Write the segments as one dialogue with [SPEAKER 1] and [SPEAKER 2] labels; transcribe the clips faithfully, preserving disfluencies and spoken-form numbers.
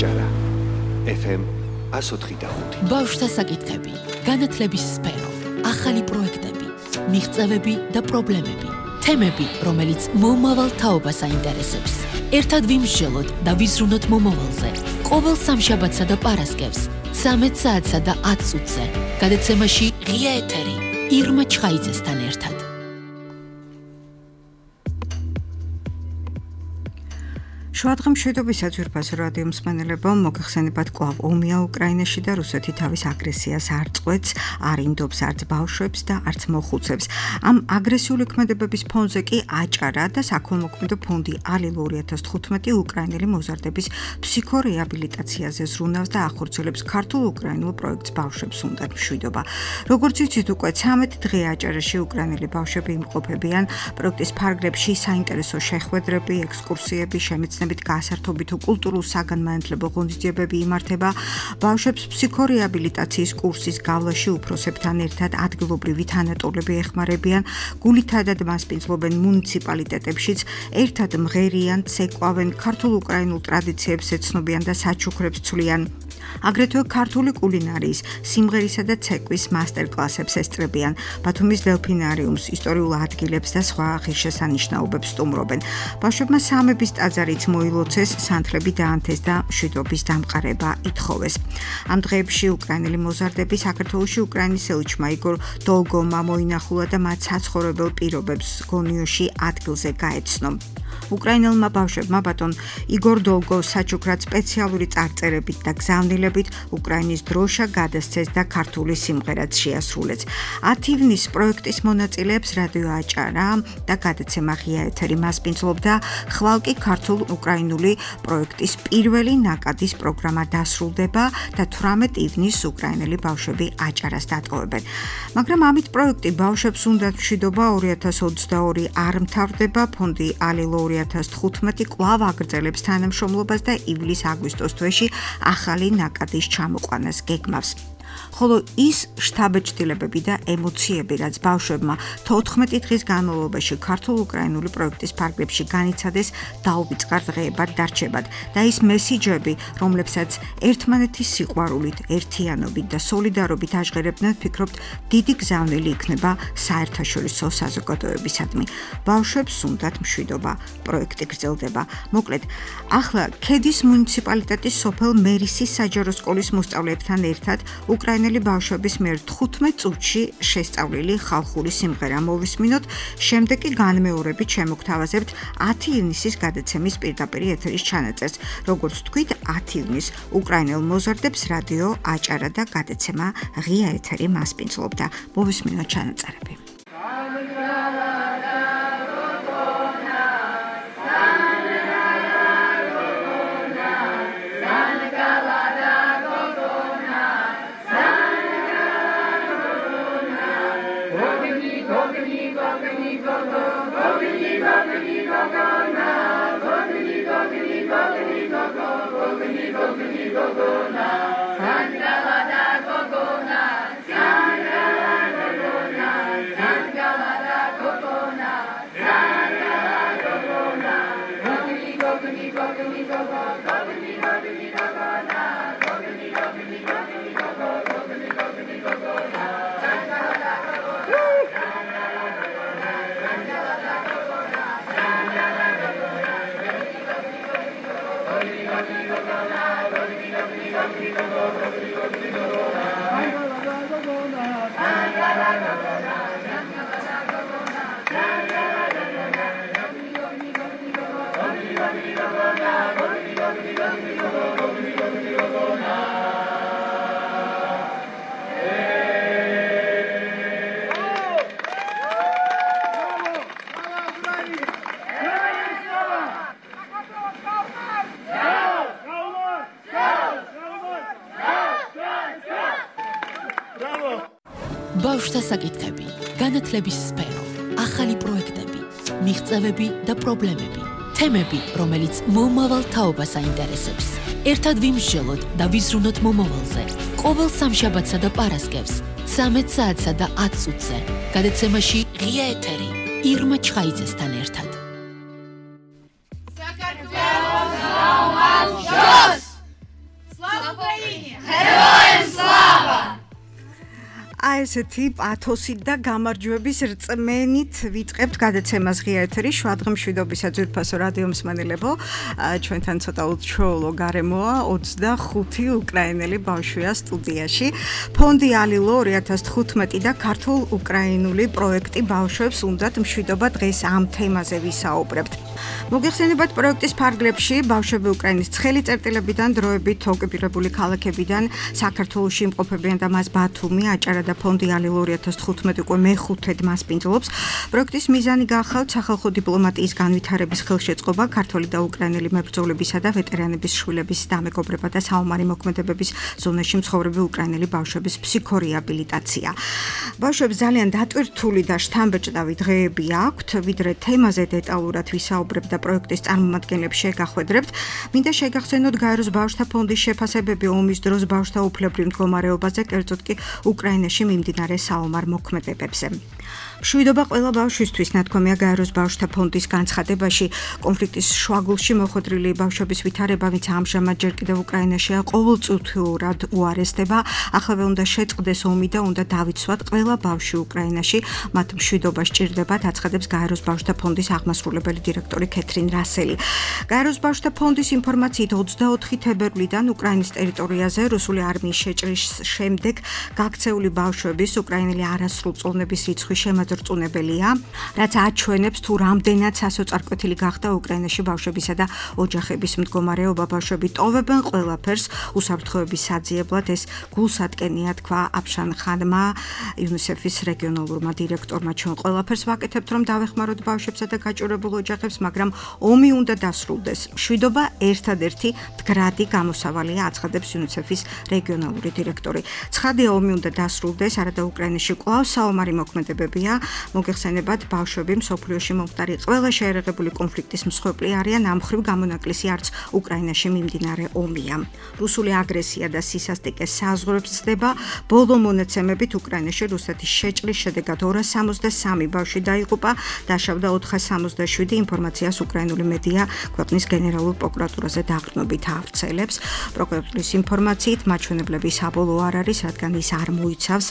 [SPEAKER 1] აჭარა. ეფ ემ one oh five.
[SPEAKER 2] ბავშვთა საკითხები, განათლების სფერო, ახალი პროექტები, მიღწევები და პრობლემები. თემები, რომელიც მომავალ თაობას აინტერესებს. ერთად ვიმსჯელოთ და ვიზრუნოთ მომავალზე. ყოველ სამშაბათსა და პარასკევს, ცამეტ საათსა და ათ წუთზე. გადაცემაში ღია ეთერი, ირმა ჩხაიძესთან ერთად.
[SPEAKER 3] შუადღე მშვიდობის საძვირფასო რადიო მსმენელებო, მოგეხსენებათ კვლავ ომია უკრაინაში და რუსეთი თავის აგრესიას არ წყვეტს, არ ინდობს არც ბავშვებს და არც მოხუცებს. ამ აგრესიული ქმედებების ფონზე კი აჭარა და საქველმოქმედო ფონდი ალილ ორი ათას თხუთმეტი უკრაინელი მოზარდების ფსიქორეაბილიტაციაზე ზრუნავს და ახორციელებს ქართულ-უკრაინულ პროექტს ბავშვებს უნდათ მშვიდობა. როგორც ვიცით, უკვე ცამეტ დღე აჭარაში უკრაინელი ბავშვები იმყოფებიან. პროექტის ფარგლებში საინტერესო შეხვედრები, ექსკურსიები, შემეცნებები გასართობი თუ კულტურულ-საგანმანათლებლო ღონისძიებები იმართება. ბავშვებს ფსიქორეაბილიტაციის კურსის გავლაში უფროსებთან ერთად ადგილობრივი თანატოლები ეხმარებიან, გულითადად მასპინძლობენ მუნიციპალიტეტებშიც, ერთად მღერიან, ცეკვავენ, ქართულ-უკრაინულ ტრადიციებს ეცნობიან და საჩუქრებს ცვლიან. აგრეთვე ქართული კულინარიის, სიმღერისა და ცეკვის მასტერკლასებს ესწრებიან, ბათუმის დელფინარიუმს, ისტორიულ ადგილებს და სხვა ღირსშესანიშნაობებს სტუმრობენ. ბავშვებმა სამების ტაძარიც მოილოცეს, სანთლები დაანთეს და მშვიდობის დამყარება ითხოვეს. ამ დღეებში უკრაინელი მოზარდები საქართველოში უკრაინის ელჩმა იგორ დოლგოვმა მოინახულა და მათ საცხოვრებელ პირობებს გონიოში ადგილზე გაეცნო. უკრაინელმა ბავშვებმა ბატონ იგორ დოლგოვს საჩუქრად სპეციალური წარწერებით და გზავნილებით უკრაინის დროშა გადასცეს და ქართული სიმღერაც შეასრულეს. ათ ივნის პროექტის მონაწილეებს რადიო აჭარა და გადაცემა ღია ეთერი მასპინძლობდა, ხვალ კი ქართულ-უკრაინული პროექტის პირველი ნაკადის პროგრამა დასრულდება და თვრამეტ ივნის უკრაინელი ბავშვები აჭარას დატოვებენ. მაგრამ ამით პროექტი ბავშვებს უნდათ მშვიდობა ორი ათას ოცდაორი არ მთავრდება. ფონდი ალილ ორი ათას თხუთმეტი კვლავ აგრძელებს თანამშრომლობას და ივლის-აგვისტოს თვეში ახალი ნაკადის ჩამოყვანას გეგმავს. ხოლო ის შთაბეჭდილებები და ემოციები, რაც ბავშვებმა თოთხმეტი დღის განმავლობაში ქართულ-უკრაინული პროექტის ფარგლებში განიცადეს, დაუვიწყარ დღეებად დარჩებათ და ის მესიჯები, რომლებსაც ერთმანეთის სიყვარულით, ერთიანობით და სოლიდარობით აჟღერებდნენ, ვფიქრობთ, დიდი გზავნილი იქნება საერთაშორისო საზოგადოებისადმი. ბავშვებს უნდათ მშვიდობა, პროექტი გრძელდება. მოკლედ, ახლა ქედის მუნიციპალიტეტის სოფელ მერისის საჯარო სკოლის მოსწავლეებთან ერთად უკრაინელი ბავშვების მიერ თხუთმეტ წუთში შესწავლილი ხალხური სიმღერა მოვისმინოთ, შემდეგ კი განმეორებით შემოგთავაზებთ ათი ივნისის გადაცემის პირდაპირ ეთერის ჩანაწერს. როგორც თქვით, ათი ივნის უკრაინელ მოზარდებს რადიო აჭარა და გადაცემა ღია ეთერი მასპინძლობდა. მოვისმინოთ ჩანაწერები.
[SPEAKER 2] ბავშვთა საკითხები, განათლების სფერო, ახალი პროექტები, მიღწევები და პრობლემები. თემები, რომელიც მომავალ თაობას აინტერესებს. ერთად ვიმსჯელოთ და ვიზრუნოთ მომავალზე. ყოველ სამშაბათსა და პარასკევს, ცამეტ საათსა და ათ წუთზე. გადაცემაში ღია ეთერი, ირმა ჩხაიძესთან ერთად.
[SPEAKER 3] ესეთი პათოსით და გამარჯვების რწმენით ვიწყებთ გადაცემას ღია ეთერი შვადღი მშვიდობისა ძვირფასო რადიო მსმენელებო. ჩვენთან ცოტა უჩვეულო გარემოა, ოცდახუთი უკრაინელი ბავშვია სტუდიაში. ფონდი ალილო ორი ათას თხუთმეტი და ქართულ უკრაინული პროექტი ბავშვებს უნდათ მშვიდობა, დღეს ამ თემაზე ვისაუბრებთ. მოგეხსენებათ, პროექტის ფარგლებში ბავშვები უკრაინის ცხელი წერტილებიდან, დროებით ოკუპირებული ქალაქებიდან საქართველოში იმყოფებიან და მას ბათუმი, აჭარა და ფონდი ალილო ორი ათას თხუთმეტი უკვე მეხუთედ მასპინძლობს. პროექტის მიზანი გახავთ სახალხო დიპლომატიის განვითარების ხელშეწყობა, ქართველი და უკრაინელი მებრძოლებისა და ვეტერანების შვილების დამეგობრება და საომარი მოქმედებების ზონაში მცხოვრები უკრაინელი ბავშვების ფსიქორეაბილიტაცია. ბავშვებს ძალიან დატვირთული და შთამბეჭდავი დღეები აქვთ, ვიდრე თემაზე დეტალურად ვისაუბრებთ და პროექტის წარმომადგენლებს შეგახვედრებთ. მინდა შეგახსენოთ გაეროს ბავშვთა ფონდის შეფასებები ომის დროს ბავშვთა უფლებრივ მდგომარეობაზე, კერძოდ კი უკრაინაში მიმდინარე საომარ მოქმედებებზე. მშვიდობა ყველა ბავშვისთვის ნათქვამია გაეროს ბავშვთა ფონდის განცხადებაში. კონფლიქტის შუაგულში მოხვედრილი ბავშვების ვითარება, ვინც ამჟამად ჯერ კიდევ უკრაინაშია, ყოველწუთიურად უარესდება. ახლა უნდა შეწყდეს ომი და უნდა დავიცვათ ყველა ბავშვი უკრაინაში. მათ მშვიდობა სჭირდებათ, აცხადებს გაეროს ბავშვთა ფონდის აღმასრულებელი დირექტორი კეთრინ რასელი. გაეროს ბავშვთა ფონდის ინფორმაციით ოცდაოთხი თებერვლიდან უკრაინის ტერიტორიაზე რუსული არმიის შეჭრის შემდეგ გაქცეული ბავშვების უკრაინელი არასრულწლოვნების რიცხვი შემაძრწუნებელია, რაც აჩვენებს თუ რამდენად სასოწარკვეთილი გახდა უკრაინაში ბავშვებისა და ოჯახების მდგომარეობა. ბავშვები ტოვებენ ყველაფერს უსაფრთხოების საძიებლად, ეს გულსატკენია, თქვა აფშან ხანმა, იუნისეფის რეგიონალურმა დირექტორმა. ჩვენ ყველაფერს ვაკეთებთ, რომ დავეხმაროთ ბავშვებსა და გაჭირებულ ოჯახებს, მაგრამ ომი უნდა დასრულდეს. მშვიდობა ერთადერთი მდგრადი გამოსავალია, აცხადებს იუნისეფის რეგიონალური დირექტორი. ცხადია, ომი უნდა დასრულდეს, არადა უკრაინაში კვლავ საომარი მოქმედებებია. მოგეხსენებათ, ბავშვები მსოფლიოში მომხდარი ყველა შეერაღებული კონფლიქტის მსხვერპლი არიან, ამ მხრივ გამონაკლისი არც უკრაინაში მიმდინარე ომია. რუსული აგრესია და სისასტიკე საზღვრებს ცდება. ბოლო მონაცემებით უკრაინაში რუსეთის შეჭრის შედეგად ორას სამოცდასამი ბავშვი დაიღუპა, დაშავდა ოთხას სამოცდაშვიდი. ინფორმაციას უკრაინული მედია ქვეყნის გენერალურ პროკურატურაზე დაყრდნობით ავრცელებს. პროკურატურის ინფორმაციით, მაჩვენებლები საბოლოო არ არის, რადგან ის არ მოიცავს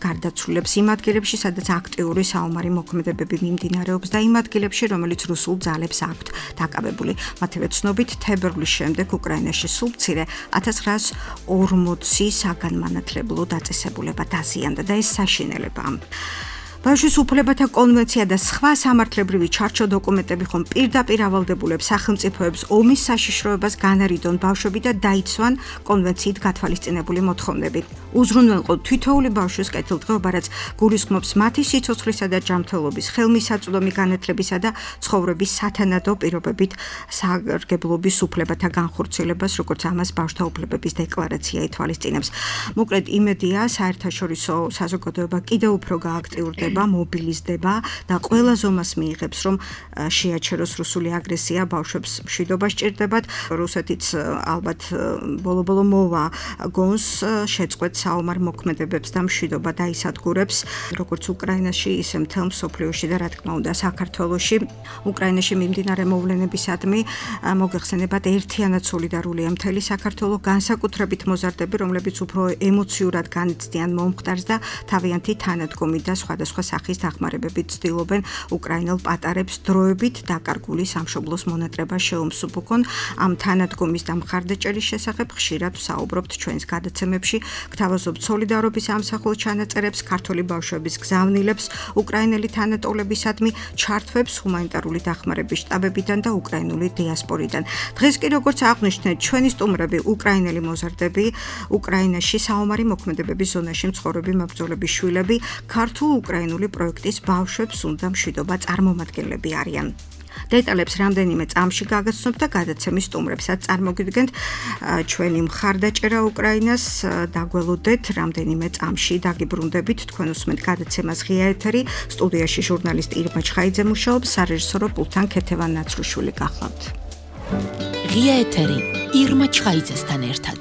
[SPEAKER 3] გარდაცვლილებს იმ ადგილებში, სადაც აქტიური საომარი მოქმედებები მიმდინარეობს და იმ ადგილებში, რომელიც რუსულ ძალებს აქვთ დაკავებული. მათივე ცნობით, თებერვლის შემდეგ უკრაინაში სულ მცირე ათას ცხრაას ორმოცი საგანმანათლებლო დაწესებულება დაზიანდა და ეს საშინელებაა. ბავშვის უფლებათა კონვენცია და სხვა სამართლებრივი ჩარჩო დოკუმენტები ხომ პირდაპირ ავალდებულებს სახელმწიფოებს ომის საშიშროებას განარიდონ ბავშვები და დაიცვან კონვენციით გათვალისწინებული მოთხოვნები. უზრუნველყო თითოეული ბავშვის კეთილდღეობა, რაც გულისხმობს მათი სიცოცხლისა და ჯანმრთელობის, ხელმისაწვდომი განათლებისა და ცხოვრების სათანადო პირობებით სარგებლობის უფლებათა განხორციელებას, როგორც ამას ბავშვთა უფლებების დეკლარაცია ითვალისწინებს. მოკლედ, იმედია, საერთაშორისო საზოგადოება კიდევ უფრო გააქტიურდება, მობილიზდება და ყველა ზომას მიიღებს, რომ შეაჩეროს რუსული აგრესია, ბავშვებს მშვიდობა სჭირდებათ. რუსეთიც ალბათ ბოლო-ბოლო მოვა გონს შეწყვეტ საომარ მოქმედებებს და მშვიდობა დაისადგურებს, როგორც უკრაინაში, ისე მთელ მსოფლიოში და რა თქმა უნდა საქართველოში. უკრაინაში მიმდინარე მოვლენებისადმი მოგეხსენებათ, ერთიანად სოლიდარულია მთელი საქართველო, განსაკუთრებით მოზარდები, რომლებიც უფრო ემოციურად განიცდიან მომხდარს და თავიანთი თანადგომით და სხვადასხვა სახის დახმარებებით ცდილობენ უკრაინელ პატარებს დროებით დაკარგული სამშობლოს მონატრება შეუმსუბუქონ. ამ თანადგომის და მხარდაჭერის შესახებ ხშირად ვსაუბრობთ ჩვენს გადაცემებში. გთავაზობთ სოლიდარობის ამსახველ ჩანაწერებს, ქართული ბავშვების გზავნილებს, უკრაინელი თანატოლებისადმი ჩართვებს ჰუმანიტარული დახმარების შტაბებიდან და უკრაინული დიასპორიდან. დღეს კი, როგორც აღვნიშნეთ, ჩვენი სტუმრები უკრაინელი მოზარდები, უკრაინაში საომარი მოქმედებების ზონაში მცხოვრები მებრძოლების შვილები, ქართულ უკრაინული პროექტის ბავშვებს უნდა მშვიდობა წარმომადგენლები არიან. დეტალებს რამდენიმე წამში გაგაცნობთ და გადაცემის სტუმრებსაც წარმოგიდგენთ. ჩვენი მხარდაჭერა უკრაინას დაგველოდეთ რამდენიმე წამში დაგიბრუნდებით. თქვენ უსმენთ გადაცემას ღია ეთერი. სტუდიაში ჟურნალისტი ირმა ჩხაიძე მუშაობს, სარეჟისორო პულტთან ქეთევან ნაცრუშვილი გახლავთ.
[SPEAKER 2] ღია ეთერი ირმა ჩხაიძესთან ერთად.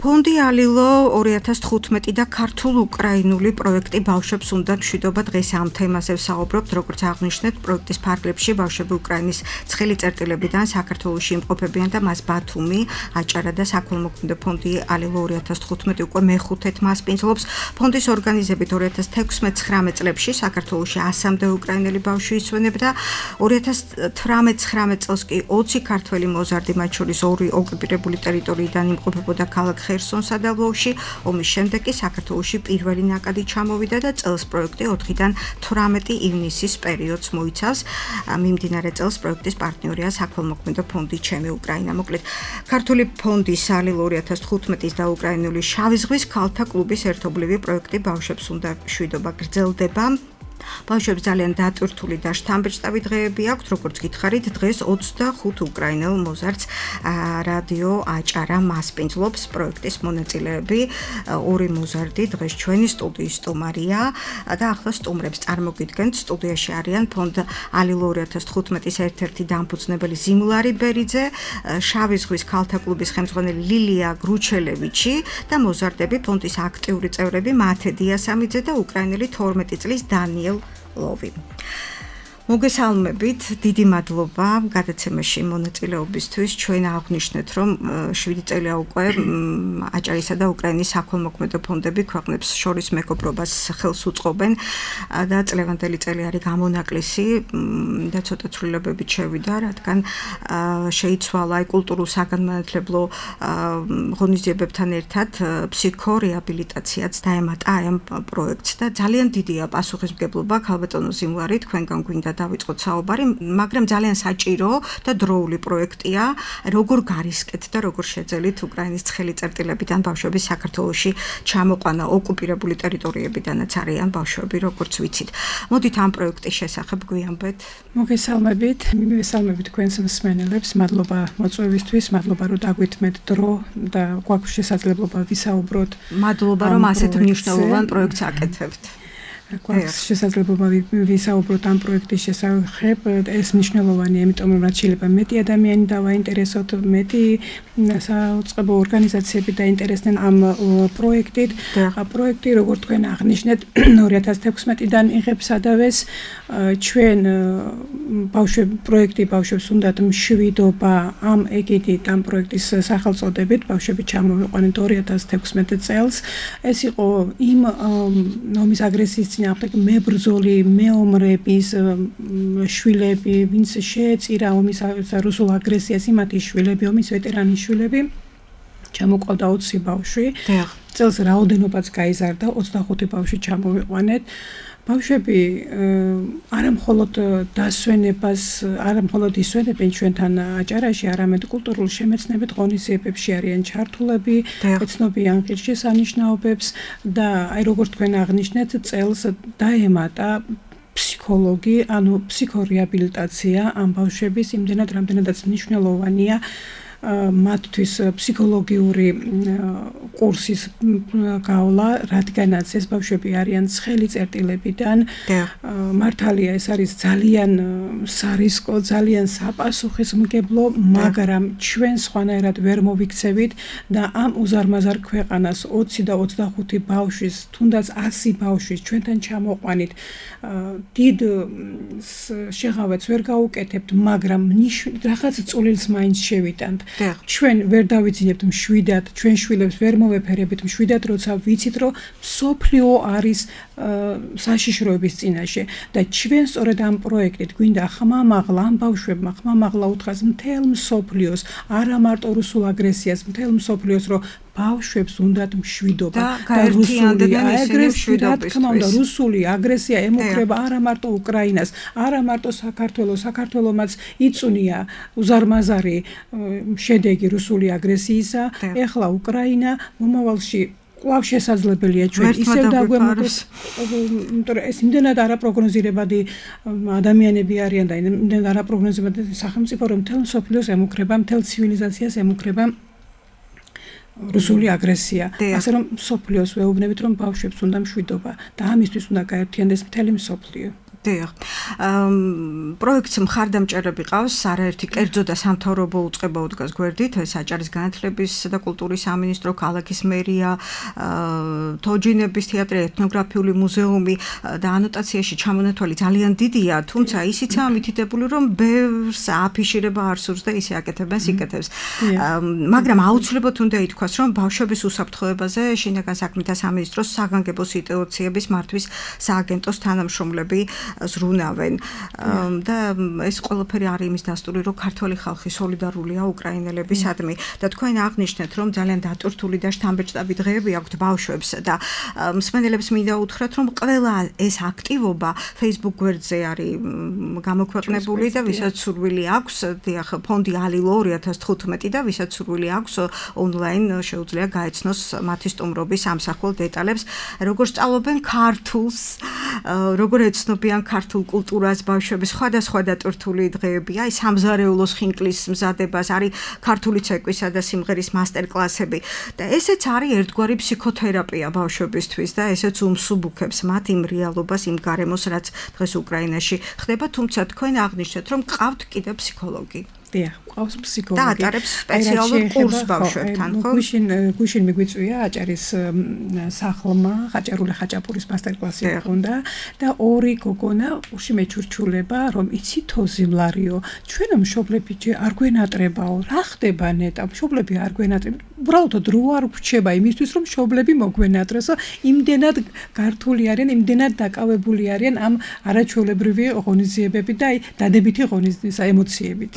[SPEAKER 3] ფონდი ალილო ორი ათას თხუთმეტი და ქართულ-უკრაინული პროექტი ბავშვებს უნდა მშვიდობა დღეს ამ თემაზე ვსაუბრობთ, როგორც აღნიშნეთ, პროექტის ფარგლებში ბავშვები უკრაინის ცხელი წერტილებიდან საქართველოში იმყოფებიან და მას ბათუმი, აჭარა და საქველმოქმედო ფონდი ალილო ორი ათას თხუთმეტი უკვე მეხუთედ მასპინძლობს. ფონდის ორგანიზებით ორი ათას თექვსმეტ-ცხრამეტ წლებში საქართველოში ასამდე უკრაინელი ბავშვი იცვენებდა. ორი ათას თვრამეტ-ცხრამეტ წელს კი ოცი ქართველი მოზარდი, მათ შორის ორი ოკუპირებული ტერიტორიიდან იმყოფებოდა ქალაქ ხერსონსა და ლვოვში. ომის შემდეგ კი საქართველოში პირველი ნაკადი ჩამოვიდა და წელს პროექტი ოთხიდან თვრამეტი ივნისის პერიოდს მოიცავს. მიმდინარე წელს პროექტის პარტნიორია საქველმოქმედო ფონდი ჩემი უკრაინა. მოკლედ, ქართული ფონდის ალილო ორი ათას თხუთმეტის და უკრაინული შავი ზღვის ქალთა კლუბის ერთობლივი პროექტი ბავშვებს უნდა მშვიდობა გრძელდება. ბავშვებს ძალიან დატვირთული და შთამბეჭდავი დღეები აქვთ, როგორც გითხარით, დღეს ოცდახუთ უკრაინელ მოზარდს რადიო აჭარა მასპინძლობს. პროექტის მონაწილეები ორი მოზარდი დღეს ჩვენი სტუდიის სტუმარია და ახლა სტუმრებს წარმოგიდგენთ. სტუდიაში არიან ფონდ ალილო ორი ათას თხუთმეტის ერთ-ერთი დამფუძნებელი ზიმლარი ბერიძე, შავი ზღვის ქალთა კლუბის ხელმძღვანელი ლილია გრუჩელევიჩი და მოზარდები ფონდის აქტიური წევრები მათე დიასამიძე და უკრაინელი თორმეტი წლის დანიელ ლოვი. მოგესალმებით, დიდი მადლობა გადაცემაში მონაწილეობისთვის. ჩვენ აღნიშნეთ, რომ შვიდი წელია უკვე აჭარისა და უკრაინის საქველმოქმედო ფონდები ქვეყნებს შორის მეგობრობას ხელს უწყობენ და წლევანდელი წელი არის გამონაკლისი და ცოტა ცვლილებებით შევიდა, რადგან შეიცვალა კულტურულ საგანმანათლებლო ღონისძიებებთან ერთად ფსიქორეაბილიტაციაც დაემატა ამ პროექტს და ძალიან დიდია პასუხისმგებლობა ქალბატონო ზიმლარი თქვენგან გვინდა დავიწყოთ საუბარი, მაგრამ ძალიან საჭირო და დროული პროექტია. როგორ გარისკეთ და როგორ შეძელით უკრაინის ცხელი წერტილებიდან ბავშვების საქართველოში ჩამოყვანა ოკუპირებული ტერიტორიებიდანაც არიან ბავშვები, როგორც ვიცით. მოდით ამ პროექტის შესახებ გვიამბეთ.
[SPEAKER 4] მოგესალმებით, მივესალმებით თქვენს მსმენელებს, მადლობა მოწვევისთვის, მადლობა რომ დაგვითმეთ დრო და გვაქვს შესაძლებლობა ვისაუბროთ.
[SPEAKER 3] მადლობა რომ ასეთ მნიშვნელოვან პროექტს აკეთებთ.
[SPEAKER 4] გვაქვს შესაძლებლობა ვისაუბროთ ამ პროექტის შესახებ. ეს მნიშვნელოვანია, იმიტომ რომ რაც შეიძლება მეტი ადამიანი დავაინტერესოთ, მეტი საწყობო ორგანიზაციები დაინტერესდნენ ამ პროექტით. პროექტი, როგორც თქვენ აღნიშნეთ, ორი ათას თექვსმეტიდან იღებს სადავეს. ჩვენ ბავშვები პროექტი ბავშვებს უნდათ მშვიდობა ამ ეგიდით ამ პროექტის სახელწოდებით ბავშვები ჩამოვიყვანეთ ორი ათას თექვსმეტ წელს. ეს იყო იმ ომის აგრესიის წინააღმდეგ მებრძოლი მეომრების შვილები, ვინც შეეწირა ომის რუსულ აგრესიას, იმათი შვილები, ომის ვეტერანის შვილები. ჩამოყავდა ოცი ბავშვი. წელს რაოდენობაც გაიზარდა, ოცდახუთი ბავშვი ჩამოვიყვანეთ. ბავშვები არამხოლოდ დასვენებას, არამხოლოდ ისვენებენ ჩვენთან აჭარაში, არამედ კულტურულ შემეცნებით ღონისძიებებში არიან ჩართულები, ეცნობიან ღირსშესანიშნაობებს და აი როგორც თქვენ აღნიშნეთ, წელს დაემატა ფსიქოლოგი, ანუ ფსიქორეაბილიტაცია ამ ბავშვების, იმდენად რამდენადაც მნიშვნელოვანია. მათთვის ფსიქოლოგიური კურსის გავლა, რადგანაც ეს ბავშვები არიან ცხელი წერტილებიდან. მართალია, ეს არის ძალიან სარისკო, ძალიან საპასუხისმგებლო, მაგრამ ჩვენ სხვანაირად ვერ მოვიქცევით და ამ უზარმაზარ ქვეყანას ოცი და ოცდახუთი ბავშვის, თუნდაც ასი ბავშვის ჩვენთან ჩამოყვანით დიდ შეღავებს ვერ გაუკეთებთ, მაგრამ რაღაც წულილს მაინც შევიტანთ. ჩვენ ვერ დავიძინებთ მშვიდად, ჩვენ შვილებს ვერ მოვეფერებით მშვიდად, როცა ვიცით, რომ მსოფლიო არის საშიშროების წინაშე და ჩვენ სწორედ ამ პროექტით გვინდა ხმამაღლა ამ ბავშვებმა ხმამაღლა უთხრას მთელ მსოფლიოს, არა მარტო რუსულ აგრესიას, მთელ მსოფლიოს, რომ ბავშვებს უნდათ მშვიდობა და რუსული აგრესია, რა თქმა უნდა, რუსული აგრესია ემუქრება არა მარტო უკრაინას, არა მარტო საქართველოს, საქართველომაც იწუნია უზარმაზარი შედეგი რუსული აგრესიისა. ეხლა უკრაინა მომავალში კვლავ შესაძლებელია ჩვენ ისევ დაგვემოდეს, იმიტომ რომ ეს იმდენად არაპროგნოზირებადი ადამიანები არიან და იმდენად არაპროგნოზირებადი სახელმწიფო, რომ მთელ მსოფლიოს ემუქრება, მთელ ცივილიზაციას ემუქრება რუსული აგრესია. ასე რომ მსოფლიოს ვეუბნებით, რომ ბავშვებს უნდა მშვიდობა და ამისთვის უნდა გაერთიანდეს მთელი მსოფლიო.
[SPEAKER 3] დიახ. პროექტს მხარდამჭერები ყავს, არაერთი კერძო და სამთავრობო უწყება უდგას გვერდით, ეს აჭარის განათლების და კულტურის სამინისტრო, ქალაქის მერია, თოჯინების თეატრი, ეთნოგრაფიული მუზეუმი და ანოტაციაში ჩამონათვალი ძალიან დიდია, თუმცა ისიცაა მითითებული, რომ ბევრს აფიშირება არ სურს და ისე აკეთებენ სიკეთებს. მაგრამ აუცილებლად უნდა ითქვას, რომ ბავშვების უსაფრთხოებაზე შინაგან საქმეთა სამინისტროს საგანგებო სიტუაციების მართვის სააგენტოს თანამშრომლები ზრუნავენ და ეს ყველაფერი არის იმის დასტური, რომ ქართველი ხალხი სოლიდარულია უკრაინელებისადმი და თქვენ აღნიშნეთ, რომ ძალიან დატვირთული და შთამბეჭდავი დღეები აქვთ ბავშვებს და მსმენელებს მინდა უთხრათ, რომ ყველა ეს აქტივობა Facebook გვერდზე არის გამოქვეყნებული და ვისაც სურვილი აქვს, დიახ, ფონდი ალილო ორი ათას თხუთმეტი და ვისაც სურვილი აქვს ონლაინ შეუძლია გაეცნოს მათი სტუმრობის ამსახველ დეტალებს, როგორ სწავლობენ ქართულს, როგორ ეცნობიან ქართულ კულტურას ბავშვები, სხვადასხვა დატვირთული დღეებია, აი სამზარეულოს ხინკლის მზადებას, არის ქართული ცეკვისა და სიმღერის მასტერკლასები და ესეც არის ერთგვარი ფსიქოთერაპია ბავშვებისთვის და ესეც უმსუბუქებს მათ იმ რეალობას, იმ გარემოს, რაც დღეს უკრაინაში ხდება, თუმცა თქვენ აღნიშნეთ, რომ ყავთ კიდევ ფსიქოლოგი.
[SPEAKER 4] დიახ, ყავს ფსიქოლოგი.
[SPEAKER 3] და ატარებს სპეციალურ კურსს ბავშვებთან, ხო?
[SPEAKER 4] გუშინ გუშინ მიგვიწვია აჭარის სახლმა, ხაჭარული ხაჭაპურის მასტერკლასი ჰქონდა და ორი გოგონა უში მეჩურჩულება, რომ იცი თოზიმლარიო, ჩვენო მშობლები არ გვენატრებაო, რა ხდება ნეტა, მშობლები არ გვენატრებ. უბრალოდ დრო არ გვჩება იმისთვის, რომ მშობლები მოგვენატრესო, იმდენად გართული არიან, იმდენად დაკავებული არიან ამ არაჩვეულებრივი ღონისძიებები და აი დადებითი ღონისძიების ემოციებით.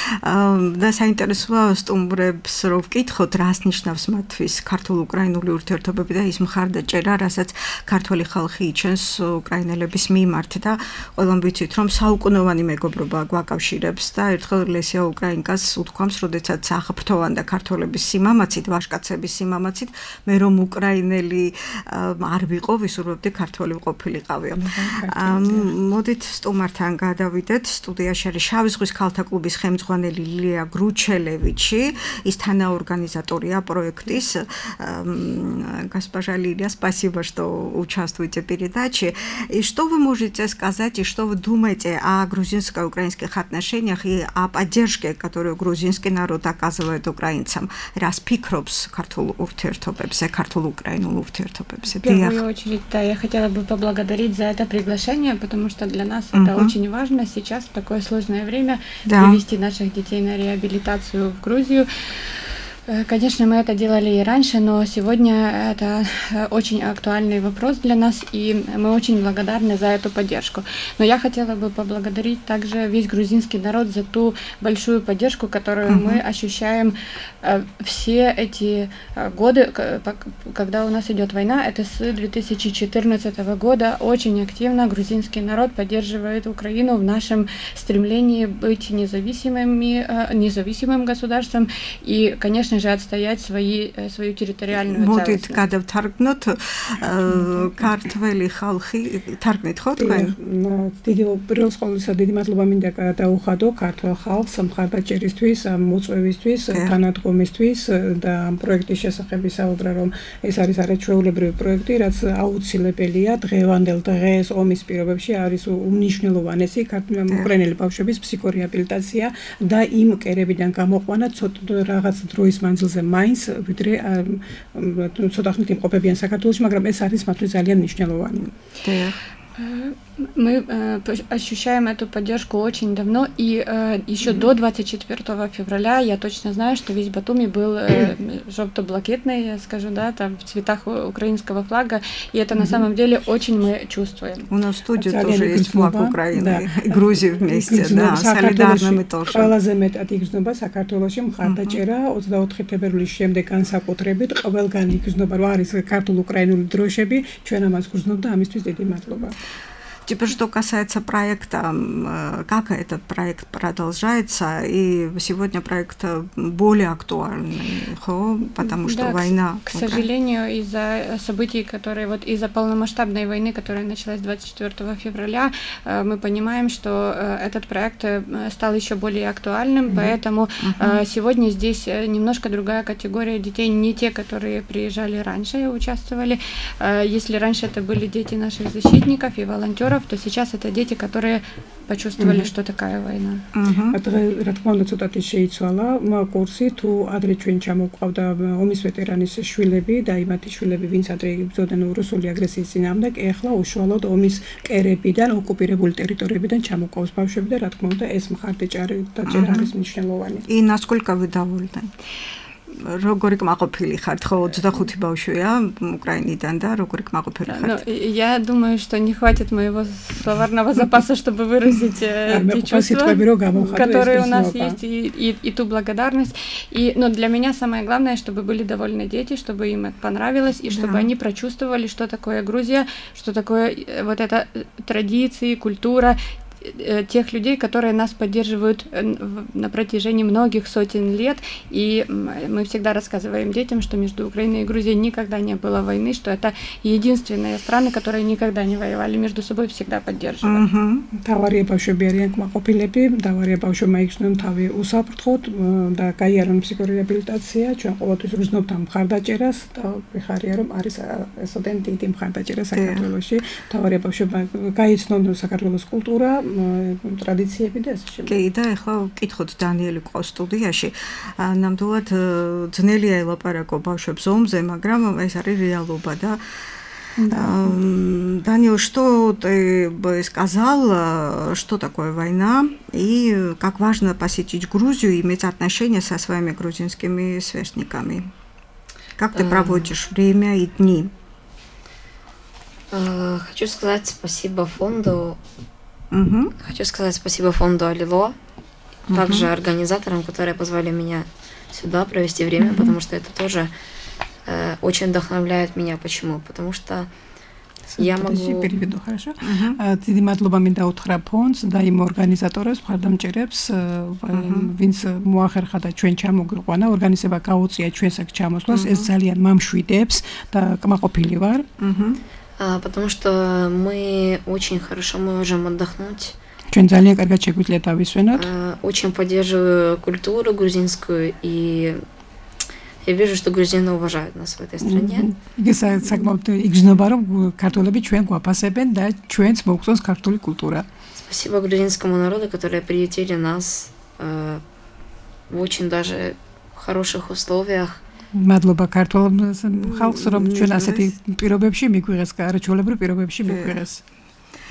[SPEAKER 4] და საინტერესოა სტუმრებს რო ვკითხოთ, რას ნიშნავს მათთვის ქართულ-უკრაინული ურთიერთობები და ის მხარდაჭერა, რასაც ქართველი ხალხი იჩენს უკრაინელების მიმართ და ყველამ ვიცით, რომ საუკუნოვანი მეგობრობა გვაკავშირებს და ერთხელ ლესია უკრაინკას უთქვამს, როდესაც აღფრთოვან და ქართველების სიმამაცით, ვაჟკაცების სიმამაცით, მე რომ უკრაინელი არ ვიყო, ვისურვებდი ქართველი ყოფილიყავიო. მოდით სტუმართან გადავიდეთ, სტუდიაში არის შავი ზღვის ქალთა კლუბის ხელმძღვანელი ლილია Гручелевичи, из თანაორганизатория проектის. Госпожа Лилия, спасибо, что участвуете в передаче. И что вы можете сказать, и что вы думаете о грузинско-украинских отношениях и о поддержке, которую грузинский народ оказывает украинцам? Раз пикробс картул уртертопепсе, картул украину уртертопепсе.
[SPEAKER 5] В первую очередь, да, я хотела бы поблагодарить за это приглашение, потому что для нас uh-huh. это очень важно сейчас в такое сложное время да. привести наших детей на реабилитацию в Грузию. Конечно, мы это делали и раньше, но сегодня это очень актуальный вопрос для нас, и мы очень благодарны за эту поддержку. Но я хотела бы поблагодарить также весь грузинский народ за ту большую поддержку, которую uh-huh. мы ощущаем все эти годы, когда у нас идет война. Это с две тысячи четырнадцатого года очень активно грузинский народ поддерживает Украину в нашем стремлении быть независимыми, независимым государством и, конечно, же отстоять свои, свою территориальную целостность.
[SPEAKER 3] Модит გადავთარგმნოთ ქართველი ხალხი თარგმნით ხო თქვენ?
[SPEAKER 4] დიდი პირველ ყოვლისა დიდი მადლობა მინდა გადაუხადო ქართველ ხალხს მხარდაჭერისთვის, მოწვევისთვის, თანადგომისთვის და ამ პროექტის შესახებ ვისაუბრა, რომ ეს არის არაჩვეულებრივი პროექტი, რაც აუცილებელია დღევანდელ დღეს ომის პირობებში არის უმნიშვნელოვანესი უკრაინელი ბავშვების ფსიქორეაბილიტაცია და იმ კერებიდან გამოყვანა ცოტა რაღაც დროის მანძილზე მაინც ვიდრე ცოტა ხნით იმყოფებიან საქართველოში, მაგრამ ეს არის მათთვის ძალიან მნიშვნელოვანი.
[SPEAKER 5] Мы ощущаем эту поддержку очень давно, и э, еще mm-hmm. до двадцать четвёртого февраля я точно знаю, что весь Батуми был э, жовто-блакитный, я скажу, да, там в цветах украинского флага, и это mm-hmm. на самом деле очень мы чувствуем.
[SPEAKER 3] У нас в студии тоже есть флаг Украины да. и Грузии вместе, да, солидарно мы тоже.
[SPEAKER 4] ყველაზე მეტად იგრძნობა საქართველოში მხარდაჭერა ოცდაოთხი თებერვლის შემდეგ განსაკუთრებით ყველგან იგრძნობა, რომ არის ქართულ-უკრაინული დროშები, ჩვენ ამას გრძნობ და ამისთვის დიდი მადლობა.
[SPEAKER 3] Теперь, что касается проекта, как этот проект продолжается, и сегодня проект более актуальный, потому что
[SPEAKER 5] да,
[SPEAKER 3] война...
[SPEAKER 5] К, к сожалению, из-за событий, которые, вот из-за полномасштабной войны, которая началась двадцать четвёртого февраля, мы понимаем, что этот проект стал еще более актуальным, mm-hmm. поэтому mm-hmm. сегодня здесь немножко другая категория детей, не те, которые приезжали раньше и участвовали. Если раньше это были дети наших защитников и волонтеров, волонтеров, то сейчас это дети, которые почувствовали, mm-hmm. что такая война.
[SPEAKER 4] Адრე რა თქმა უნდა ცოტათი შეიცვალა კურსი თუ ადრე ჩვენ ჩამოყვავდა ომის ვეტერანის შვილები და იმათი შვილები ვინც ადრე იბრძოდნენ რუსული აგრესიის წინააღმდეგ, ეხლა უშუალოდ ომის კერებიდან ოკუპირებული ტერიტორიებიდან ჩამოყვავს ბავშვები და რა თქმა უნდა ეს მხარდაჭერა დაჭერა არის მნიშვნელოვანი.
[SPEAKER 3] И насколько вы довольны? Როგორი კმაყოფილი ხართ, ხო ოცდახუთი ბავშვია უკრაინიდან და როგორი кмаყოფილი ხართ?
[SPEAKER 5] Ну, я думаю, что не хватит моего словарного запаса, чтобы выразить те чувства, которые у нас есть, и, и, и ту благодарность. И, но для меня самое главное, чтобы были довольны дети, чтобы им это понравилось, и чтобы да. они прочувствовали, что такое Грузия, что такое вот это традиции, культура, тех людей, которые нас поддерживают на протяжении многих сотен лет, и мы всегда рассказываем детям, что между Украиной и Грузией никогда не было войны, что это единственные страны, которые никогда не воевали, между собой всегда поддерживают.
[SPEAKER 4] Თავარია ბავშვები არიან კმაყოფილები, თავარია ბავშვებმა იგრძნონ თავი უსაფრთხოდ და გაიარონ ფსიქორეაბილიტაცია, ჩვენ ყოველთვის ვგრძნობთ ამ მხარდაჭერას და ვიხარია რომ არის ესოდენ დიდი მხარდაჭერა საქართველოში, თავარია ბავშვებმა გაიცნონ საქართველოს კულტურა, ტრადიციები და ასე შემდეგ.
[SPEAKER 3] კი, და ახლა ვკითხოთ დანიელი ყავს სტუდიაში. ნამდვილად ძნელია ელაპარაკო ბავშვებს ომზე, მაგრამ ეს არის რეალობა და Даниил, что ты бы сказал, что такое война и как важно посетить Грузию и иметь отношения со своими грузинскими сверстниками? Как ты проводишь время и дни?
[SPEAKER 6] Хочу сказать спасибо фонду.
[SPEAKER 3] Угу.
[SPEAKER 6] Хочу сказать спасибо фонду Алило, угу. также организаторам, которые позвали меня сюда провести время, угу. потому что это тоже э, очень вдохновляет меня. Почему? Потому что я могу...
[SPEAKER 4] переведу, хорошо? დიდი მადლობა მინდა უთხრა ფონდს და იმ ორგანიზატორებს, მხარდამჭერებს, ვინც მოახერხა და ჩვენ ჩამოგვიყვანა, ორგანიზება გაუწია ჩვენს აქ ჩამოსვლას, ეს ძალიან მამშვიდებს და კმაყოფილი ვარ.
[SPEAKER 6] Потому что мы очень хорошо можем отдохнуть.
[SPEAKER 4] Ჩვენ ძალიან კარგად შეგვიძლია დავისვენოთ.
[SPEAKER 6] Очень поддерживаю культуру грузинскую, и я вижу, что грузины уважают нас в этой стране.
[SPEAKER 4] იგი საკმაოდ იგრძნობა, რომ ქართველები ჩვენ გვაფასებენ და ჩვენც მოგწონს ქართული კულტურა.
[SPEAKER 6] Спасибо грузинскому народу, которые приютили нас э, в очень даже хороших условиях.
[SPEAKER 4] მადლობა ქართულ ხალხს, რომ ჩვენ ასეთი პირობებში მიგვიღეს, არაჩვეულებრივ პირობებში მიგვიღეს.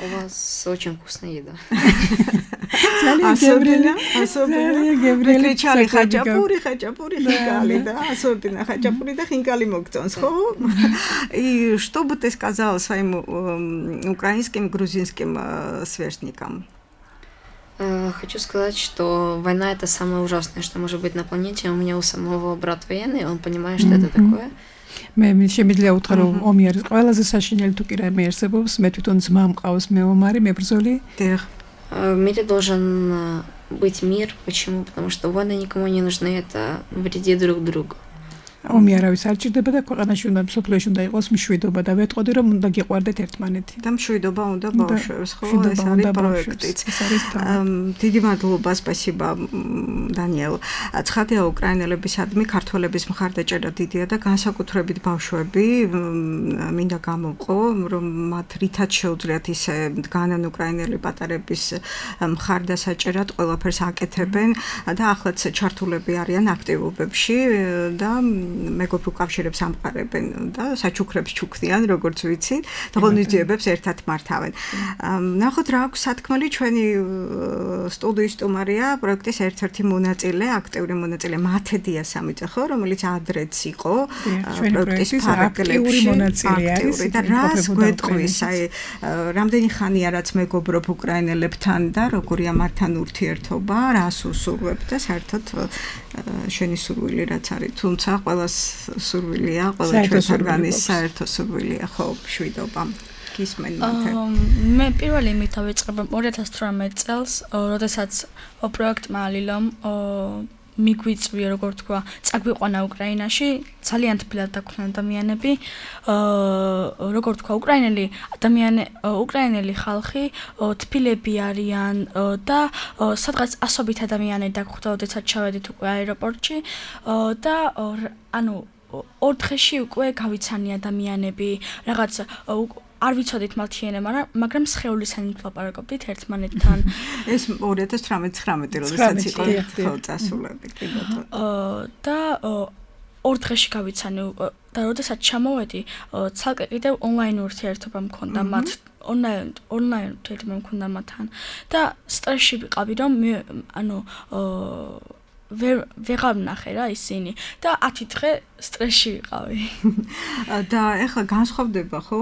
[SPEAKER 6] У вас очень вкусная еда.
[SPEAKER 3] Особенно, особенно. Мы кричали хачапури, хачапури, хинкали, да, особенно хачапури, да, хинкали мокцонс. И что бы ты сказала своим украинским, грузинским сверстникам?
[SPEAKER 6] Хочу сказать, что война — это самое ужасное, что может быть на планете. У меня у самого брат военный, он понимает, что это такое.
[SPEAKER 4] მე შემიძლია უთხრა რომ ომი არის ყველაზე საშინელი თუ კი რამე არსებობს, მე თვითონ ძმა მყავს, მე ომარი, მე ბრძოლი.
[SPEAKER 6] В мире должен быть мир. Почему? Потому что войны никому не нужны, это вредит друг другу.
[SPEAKER 4] ომი არავის არ ჭირდება და ქვეყანაში უნდა მსოფლიოში უნდა იყოს მშვიდობა და ვეტყოდი რომ უნდა გიყვარდეთ ერთმანეთი.
[SPEAKER 3] და მშვიდობა უნდა ბავშვებს, ხო, ეს არის პროექტიც. დიდი მადლობა, სპასიბა დანიელ. ცხადია უკრაინელებისადმი ქართველების მხარდაჭერა დიდია და განსაკუთრებით ბავშვები მინდა გამოყო, რომ მათ რითაც შეუძლიათ ისე დგანან უკრაინელი პატარების მხარდასაჭერად ყველაფერს აკეთებენ და ახლაც ჩართულები არიან აქტივობებში და მეგობრ უკავშირებს ამყარებენ და საჩუქრებს ჩუქდიან, როგორც ვიცი, და ღონისძიებებს ერთად მართავენ. ნახოთ რა აქვს სათქმელი ჩვენი სტუდიის სტუმარია, პროექტის ერთ-ერთი მონაწილე, აქტიური მონაწილე მათედია სამიძე, ხო, რომელიც ადრეც იყო პროექტის ფარგლებში აქტიური და რას გვეტყვის, აი, რამდენი ხანია რაც მეგობრობ უკრაინელებთან და როგორია მათთან ურთიერთობა, რას უსურვებ და საერთოდ შენი სურვილი რაც არის, თუმცა ყველას სურვილია, ყველა ჩვენს ორგანიზმის საერთო სურვილია, ხო, მშვიდობა. გისმენ მათე.
[SPEAKER 7] მე პირველი იმით დავიწყებ ორი ათას თვრამეტ წელს, როდესაც პროექტმა ალილომ მიგვიწვია, როგორ თქვა, წაგვიყვანა უკრაინაში, ძალიან თბილად დაგვხდნენ ადამიანები, როგორ თქვა, უკრაინელი ადამიანი, უკრაინელი ხალხი თბილები არიან და სადღაც ასობით ადამიანები დაგვხვდა, როდესაც ჩავედით უკვე აეროპორტში და ანუ ორ დღეში უკვე გავიცანი ადამიანები, რაღაც არ ვიცოდით მალთიანე, მაგრამ სხეულისანი ვლაპარაკობდით ერთმანეთთან.
[SPEAKER 3] ეს ორი ათას ცხრამეტ როდესაც იყო წასულები, კი ბატონო.
[SPEAKER 7] და ორ დღეში გავიცანი და როდესაც ჩამოვედი, ცალკე კიდევ ონლაინ ურთიერთობა მქონდა მათ, ონლაინ ონლაინ ურთიერთობა მქონდა მათთან და სტრესში ვიყავი, რომ მე ანუ ვეღარ ვნახე რა ისინი და ათი დღე სტრესში ვიყავი.
[SPEAKER 3] და ეხლა განსხვავდება ხო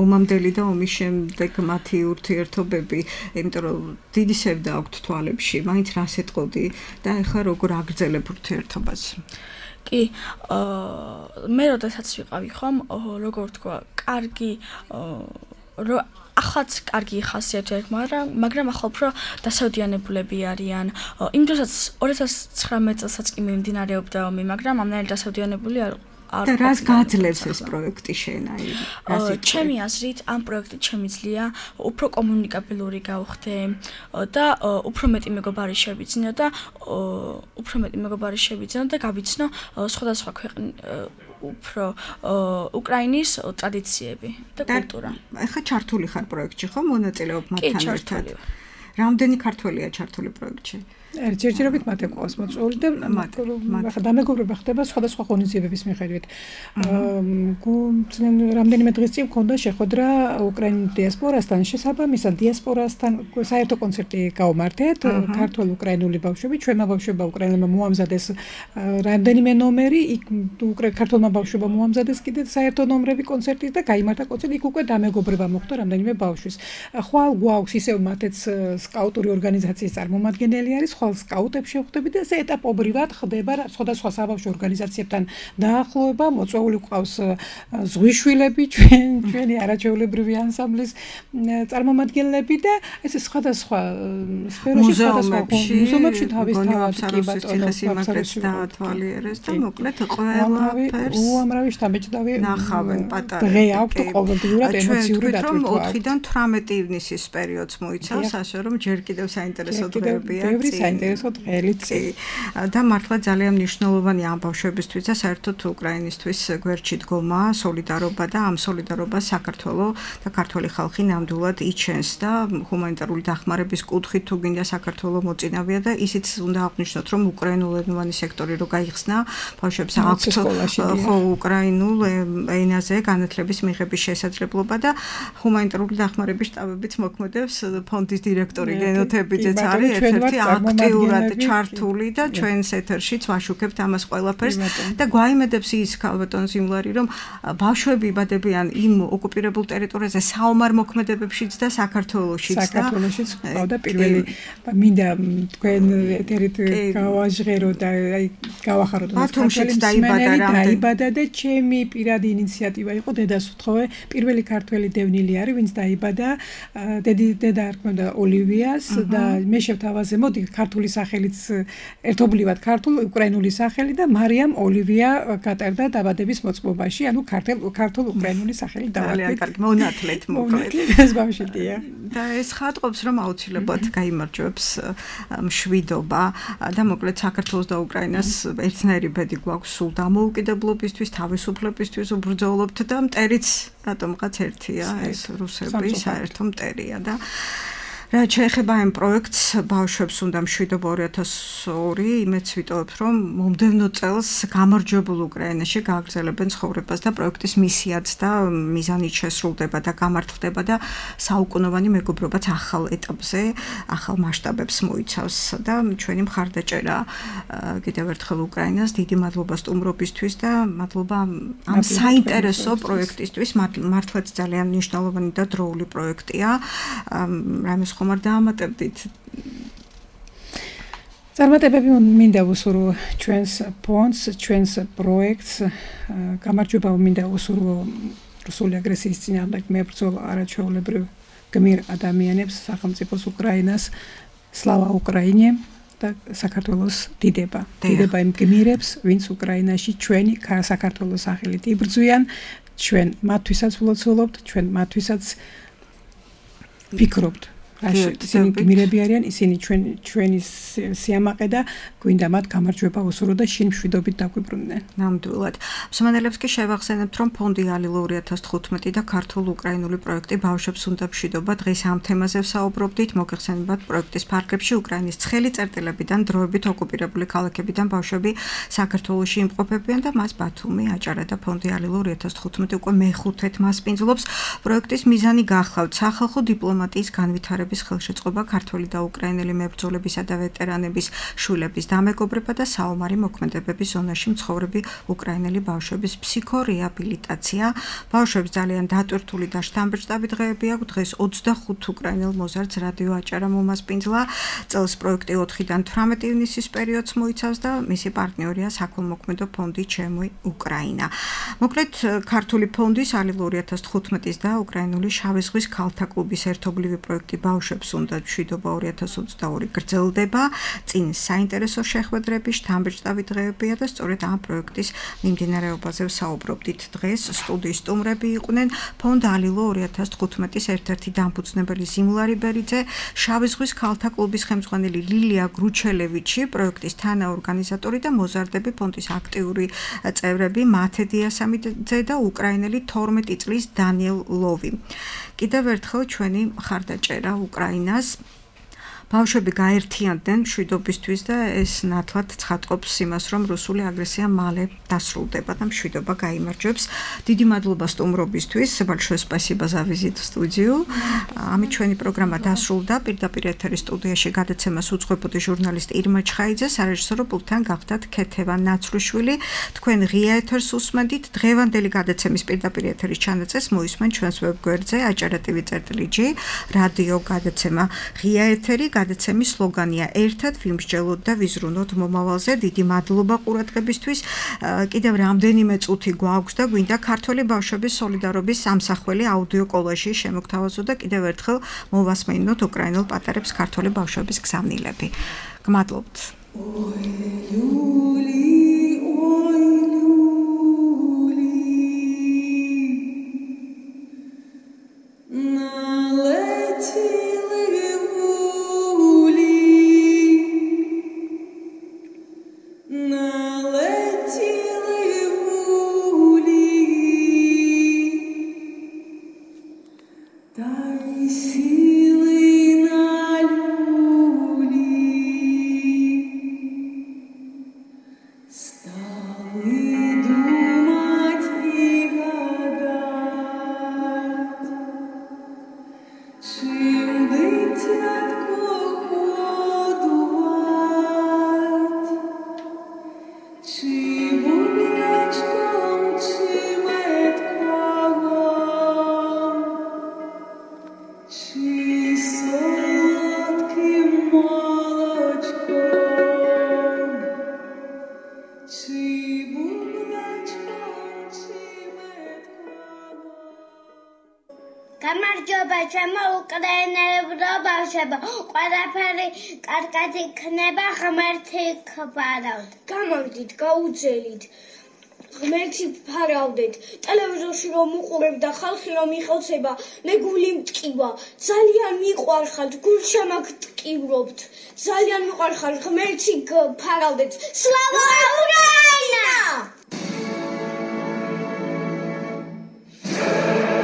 [SPEAKER 3] ომამდელი და ომის შემდეგ მათი ურთიერთობები, იმიტომ რომ დიდი სევდა აქვთ თვალებში, მაინც რას ეტყოდი და ეხლა როგორ აგრძელებ ურთიერთობას?
[SPEAKER 7] კი, მე როდესაც ვიყავი ხომ, როგორ თქვა, კარგი ახლაც კარგი ხასიათი აქვს, მაგრამ მაგრამ ახლა უფრო დასავდიანებულები არიან. იმ დროსაც ორი ათას ცხრამეტ წელსაც კი მიმდინარეობდა ომი, მაგრამ ამდენი დასავდიანებული არ
[SPEAKER 3] და რას გაძლევს ეს პროექტი შენ აი?
[SPEAKER 7] ჩემი აზრით, ამ პროექტით შემიძლია უფრო კომუნიკაბილური გავხდე და უფრო მეტი მეგობარი შევიძინო და უფრო მეტი მეგობარი შევიძინო და გავიცნო სხვადასხვა ქვეყნის უფრო უკრაინის ტრადიციები და კულტურა.
[SPEAKER 3] ეხლა ჩართული ხარ პროექტში ხო მონაწილეობ მათთან ერთად? რამდენი ქართველია ჩართული პროექტში?
[SPEAKER 4] ერთჯერჯერობით მათე ყავს მოწვეული და ახლა დამეგობრება ხდება სხვადასხვა ღონისძიებების მიხედვით. რამდენიმე დღის წინ მქონდა შეხვედრა უკრაინის დიასპორასთან, შესაბამისად დიასპორასთან საერთო კონცერტი გავმართეთ, ქართულ-უკრაინული ბავშვები, ჩვენმა ბავშვებმა უკრაინელებმა მოამზადეს რამდენიმე ნომერი, იქ ქართულმა ბავშვებმა მოამზადეს კიდე საერთო ნომრები კონცერტის და გაიმართა კონცერტი, იქ უკვე დამეგობრება მოხდა რამდენიმე ბავშვის. ხვალ გვაქვს ისევ მათეც სკაუტური ორგანიზაციის წარმომადგენელი არის, ხვალ სკაუტებს შევხვდებით და ესე ეტაპობრივად ხდება სხვადასხვა საბავშვო ორგანიზაციებთან დაახლოება, მოწვეული ყავს ზღვიშვილები, ჩვენ ჩვენი არაჩვეულებრივი ანსამბლის წარმომადგენლები და ესე სხვადასხვა სფეროში სხვადასხვა მუზეუმებში თავის თავად კი ბატონო
[SPEAKER 3] სიმაგრეს დაათვალიერეს და მოკლედ ყველაფერს
[SPEAKER 4] უამრავი შთამბეჭდავი
[SPEAKER 3] ნახავენ პატარა
[SPEAKER 4] დღე აქვთ ყოველდღიურად ემოციური დატვირთვა.
[SPEAKER 3] ოთხიდან თვრამეტი ივნისის პერიოდს მოიცავს, ასე რომ ჯერ კიდევ საინტერესო დღეებია.
[SPEAKER 4] საინტერესო დღეებით
[SPEAKER 3] და მართლა ძალიან მნიშვნელოვანი ამ ბავშვებისთვის და საერთოდ უკრაინისთვის გვერდში დგომა, სოლიდარობა და ამ სოლიდარობას საქართველოს და ქართული ხალხი ნამდვილად იჩენს და ჰუმანიტარული დახმარების კუთხით თუ გინდა საქართველოს მოწინავია და ისიც უნდა აღნიშნოთ, რომ უკრაინულენოვანი სექტორი რო გაიხსნა, ბავშვებს აქვთ ხო უკრაინულ ენაზე განათლების მიღების შესაძლებლობა და ჰუმანიტარული დახმარების შტაბებიც მოქმედებს, ფონდის დირექტორი გენოთებიძეც არის ერთ-ერთი აქტიურად ჩართული და ჩვენს ეთერშიც ვაშუქებთ ამას ყველაფერს და გვაიმედებს ის ქალბატონ ზიმლარი, რომ ბავშვები იბადებიან იმ ოკუპირებულ ტერიტორიაზე საომარ მოქმედებებშიც და საქართველოშიც და
[SPEAKER 4] საქართველოშიც ყავდა პირველი მინდა თქვენ ეთერით გავაჟღერო და აი გავახაროთ
[SPEAKER 3] ბათუმშიც დაიბადა
[SPEAKER 4] დაიბადა და ჩემი პირადი ინიციატივა იყო დედას უთხოვე, პირველი ქართველი დევნილი არის, ვინც დაიბადა, დედი დედა არქმევდა ოლივიას და მე შევთავაზე მოდი ქართული სახელიც ერთობლივად ქართულ უკრაინული სახელი და მარიამ ოლივია გატარდა დაბადების მოწმობაში, ანუ ქართულ ქართულ უკრაინული სახელი დავარქვით.
[SPEAKER 3] კარგი, მონათლეთ მოკლედ.
[SPEAKER 4] ეს ბავშვია.
[SPEAKER 3] და ეს ხატყობს, რომ აუცილებლად გაიმარჯვებს მშვიდობა და მოკლედ საქართველოს და უკრაინას ერთნაირი ბედი გვაქვს სულ დამოუკიდებლობისთვის, თავისუფლებისთვის ვბრძოლობთ და მტერიც რატომღაც ერთია, ეს რუსები საერთო მტერია და რაც შეეხება ამ პროექტს, ბავშვებს უნდა მშვიდობა ორი ათას ორი, იმეც ვიტოვებ, რომ მომდევნო წელს გამარჯვებულ უკრაინაში გააგრძელებენ ცხოვრებას და პროექტის მისიაც და მიზანით შესრულდება და გამართლდება და საუკუნოვანი მეგობრობაც ახალ ეტაპზე, ახალ მასშტაბებს მოიცავს და ჩვენი მხარდაჭერა კიდევ ერთხელ უკრაინას, დიდი მადლობა სტუმრობისთვის და მადლობა ამ საინტერესო პროექტისთვის, მართლაც ძალიან მნიშვნელოვანი და დროული პროექტია. რამეს ხომ არ დაამატებდით?
[SPEAKER 4] წარმატებები მინდა ვუსურვო ჩვენს ფონდს, ჩვენს პროექტს, გამარჯვება მინდა ვუსურვო რუსული აგრესიის წინააღმდეგ მებრძოლ არაჩვეულებრივ გმირ ადამიანებს, სახელმწიფოს უკრაინას, სლავა უკრაინე და საქართველოს დიდება. დიდება იმ გმირებს, ვინც უკრაინაში ჩვენი საქართველოს სახელით იბრძვიან, ჩვენ მათთვისაც ვლოცულობთ, ჩვენ მათთვისაც ვფიქრობთ. ისინი გმირები არიან, ისინი ჩვენ ჩვენი სიამაყე და გვინდა მათ გამარჯვება უსურო და შინ მშვიდობით დაგვიბრუნდნენ.
[SPEAKER 3] ნამდვილად. მსმენელებს კი შევახსენებთ, რომ ფონდი ალილო ორი ათას თხუთმეტი და ქართულ-უკრაინული პროექტი ბავშვებს უნდა მშვიდობა დღეს ამ თემაზე ვსაუბრობდით. მოგეხსენებათ პროექტის ფარგლებში უკრაინის ცხელი წერტილებიდან დროებით ოკუპირებული ქალაქებიდან ბავშვები საქართველოში იმყოფებიან და მას ბათუმი, აჭარა და ფონდი ალილო ორი ათას თხუთმეტი უკვე მეხუთედ მასპინძლობს. პროექტის მიზანი გახლავთ სახალხო დიპლომატიის განვითარების ხელშეწყობა, ქართველი და უკრაინელი მებრძოლებისა და ვეტერანების შვილების დამეგობრება და საომარი მოქმედებების ზონაში მცხოვრები უკრაინელი ბავშვების ფსიქორეაბილიტაცია. ბავშვებს ძალიან დატვირთული და შთამბეჭდავი დღეები აქვს. დღეს ოცდახუთ უკრაინელ მოზარდს რადიო აჭარა მომასპინძლა. წელს პროექტი ოთხიდან თვრამეტი ივნისის პერიოდს მოიცავს და მისი პარტნიორია საქველმოქმედო ფონდი ჩემი უკრაინა. მოკლედ ქართული ფონდის ალილო ორი ათას თხუთმეტის და უკრაინული შავი ზღვის ქალთა კლუბის ერთობლივი პროექტი ბავშვებს უნდა მშვიდობა ორი ათას ოცდაორი გრძელდება. წინ საინტერესო შეხვედრები, შთამბეჭდავი დღეებია და სწორედ ამ პროექტის მიმდინარეობაზე ვსაუბრობდით. დღეს სტუდიის სტუმრები იყვნენ ფონდ ალილო ორი ათას თხუთმეტის ერთ-ერთი დამფუძნებელი ზიმლარი ბერიძე, შავი ზღვის ქალთა კლუბის ხელმძღვანელი ლილია გრუჩელევიჩი, პროექტის თანაორგანიზატორი და მოზარდები ფონდის აქტიური წევრები მათე დიასამიძე და უკრაინელი თორმეტი წლის დანიელ ლოვი. კიდევ ერთხელ ჩვენი მხარდაჭერა უკრაინას. ბავშვები გაერთიანდნენ მშვიდობისთვის და ეს ნათლად ცხადყოფს იმას, რომ რუსული აგრესია მალე დასრულდება და მშვიდობა გაიმარჯვებს. დიდი მადლობა სტუმრობისთვის. Большое спасибо за визит в студию. ამით ჩვენი პროგრამა დასრულდა. პირდაპირ ეთერის სტუდიაში გადაცემას უძღვებოდი ჟურნალისტ ირმა ჩხაიძე, სარეჟისორო პულტთან გახდათ ქეთევან ნაცვლიშვილი. თქვენ ღია ეთერს უსმენდით. დღევანდელი გადაცემის პირდაპირ ეთერის ჩანაწეს მოისმენ ჩვენს ვებგვერდზე აჭარა ტივი წერტილი ჯი რადიო გადაცემა ღია ეთერი. გადაცემის სლოგანია ერთად ვიმსჯელოთ და ვიზრუნოთ მომავალზე. დიდი მადლობა ყურადღებისთვის. კიდევ რამდენიმე წუთი გვაქვს და გვინდა ქართველი ბავშვების სოლიდარობის სამსახველი აუდიო კოლაჟი შემოგთავაზო და კიდევ ერთხელ მოვასმენინოთ უკრაინელ პატარებს ქართველი ბავშვების გზავნილები. გმადლობთ.
[SPEAKER 8] გამარჯობა ჩემო უკრაინელებო ბავშვებო, ყველაფერი კარგად იქნება, ღმერთი გფარავთ.
[SPEAKER 9] გამარჯვით, გაუძელით. ღმერთი ფარავდეთ. ტელევიზორში რომ უყურებ და ხალხი რომ იხოცება, მე გული მტკივა. ძალიან მიყვარხართ, გულშემაგტკივრობთ. ძალიან მიყვარხართ, ღმერთი გფარავდეთ. სლავა უკრაინა!
[SPEAKER 10] Thank you.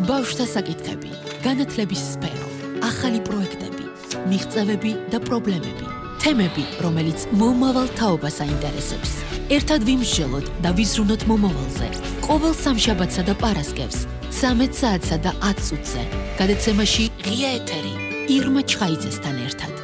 [SPEAKER 2] ბავშვთა საკითხები, განათლების სფერო, ახალი პროექტები, მიღწევები და პრობლემები, თემები, რომელიც მომავალ თაობას აინტერესებს. ერთად ვიმსჯელოთ და ვიზრუნოთ მომავალზე. ყოველ სამშაბათსა და პარასკევს, ცამეტ საათსა და ათ წუთზე. გადაცემაში ღია ეთერი ირმა ჩხაიძესთან ერთად.